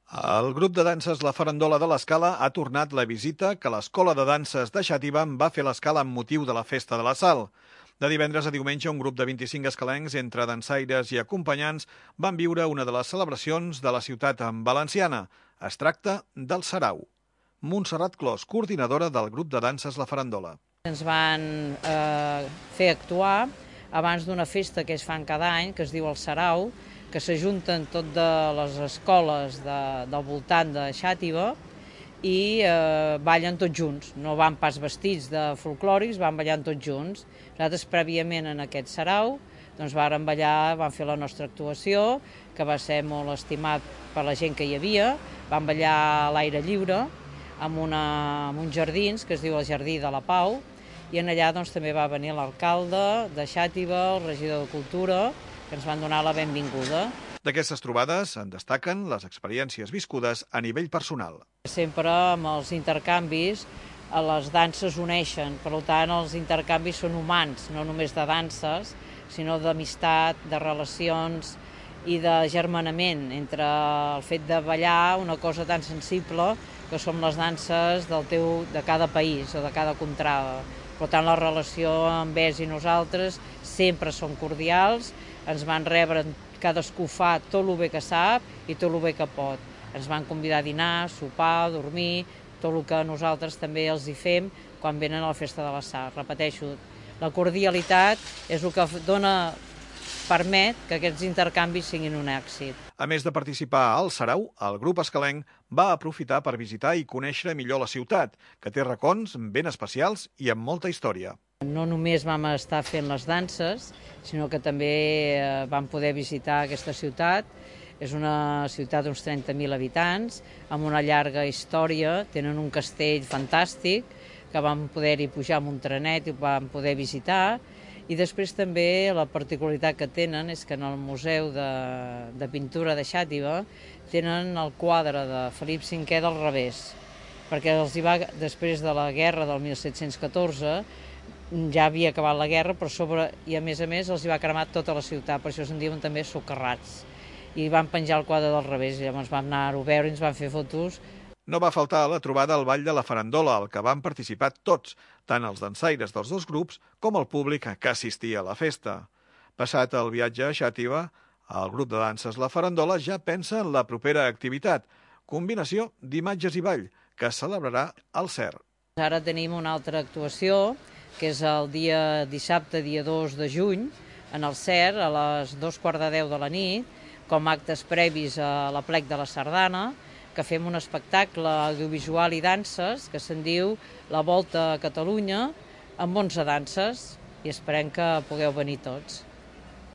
El grup de danses La Farandola de l'Escala ha tornat la visita que l'Escola de Danses de Xàtiva va fer a l'Escala amb motiu de la Festa de la Sal. De divendres a diumenge, un grup de 25 escalencs, entre dansaires i acompanyants, van viure una de les celebracions de la ciutat valenciana. Es tracta del Sarau. Montserrat Clos, coordinadora del grup de danses La Farandola. Ens van fer actuar abans d'una festa que es fan cada any, que es diu el Sarau, que s'ajunten tot de les escoles del voltant de Xàtiva i ballen tots junts. No van pas vestits de folclòrics, van ballant tots junts. Nosaltres, prèviament en aquest Sarau, doncs vàrem ballar, vam fer la nostra actuació, que va ser molt estimat per la gent que hi havia. Vam ballar a l'aire lliure, amb uns jardins, que es diu el Jardí de la Pau, i en allà doncs, també va venir l'alcalde de Xàtiva, el regidor de Cultura, que ens van donar la benvinguda. D'aquestes trobades en destaquen les experiències viscudes a nivell personal. Sempre amb els intercanvis les danses uneixen, per tant els intercanvis són humans, no només de danses, sinó d'amistat, de relacions i de germanament entre el fet de ballar una cosa tan sensible que són les danses de cada país o de cada contrada. Per tant, la relació amb ells i nosaltres sempre són cordials, ens van rebre, cadascú fa tot el bé que sap i tot el bé que pot. Ens van convidar a dinar, sopar, dormir, tot el que nosaltres també els hi fem quan venen a la Festa de la Sal. Repeteixo, la cordialitat és el que permet que aquests intercanvis siguin un èxit. A més de participar al Sarau, el grup escalenc va aprofitar per visitar i conèixer millor la ciutat, que té racons ben especials i amb molta història. No només vam estar fent les danses, sinó que també vam poder visitar aquesta ciutat. És una ciutat d'uns 30.000 habitants, amb una llarga història, tenen un castell fantàstic, que vam poder-hi pujar amb un trenet i vam poder visitar. I després també la particularitat que tenen és que en el Museu de Pintura de Xàtiva tenen el quadre de Felip V del revés, perquè després de la guerra del 1714, ja havia acabat la guerra, però i a més els hi va cremar tota la ciutat, per això se'n diuen també socarrats. I van penjar el quadre del revés, i llavors vam anar-ho a veure i ens van fer fotos. No va faltar la trobada al Ball de la Farandola, al que van participar tots, tant els dansaires dels dos grups com el públic que assistia a la festa. Passat el viatge a Xàtiva, el grup de danses La Farandola ja pensa en la propera activitat, combinació d'imatges i ball, que es celebrarà al CER. Ara tenim una altra actuació, que és el dia dissabte, dia 2 de juny, en el CER, a les 2:15 de la nit, com actes previs a l'Aplec de la Sardana, que fem un espectacle audiovisual i danses que se'n diu La Volta a Catalunya, amb 11 danses, i esperem que pugueu venir tots.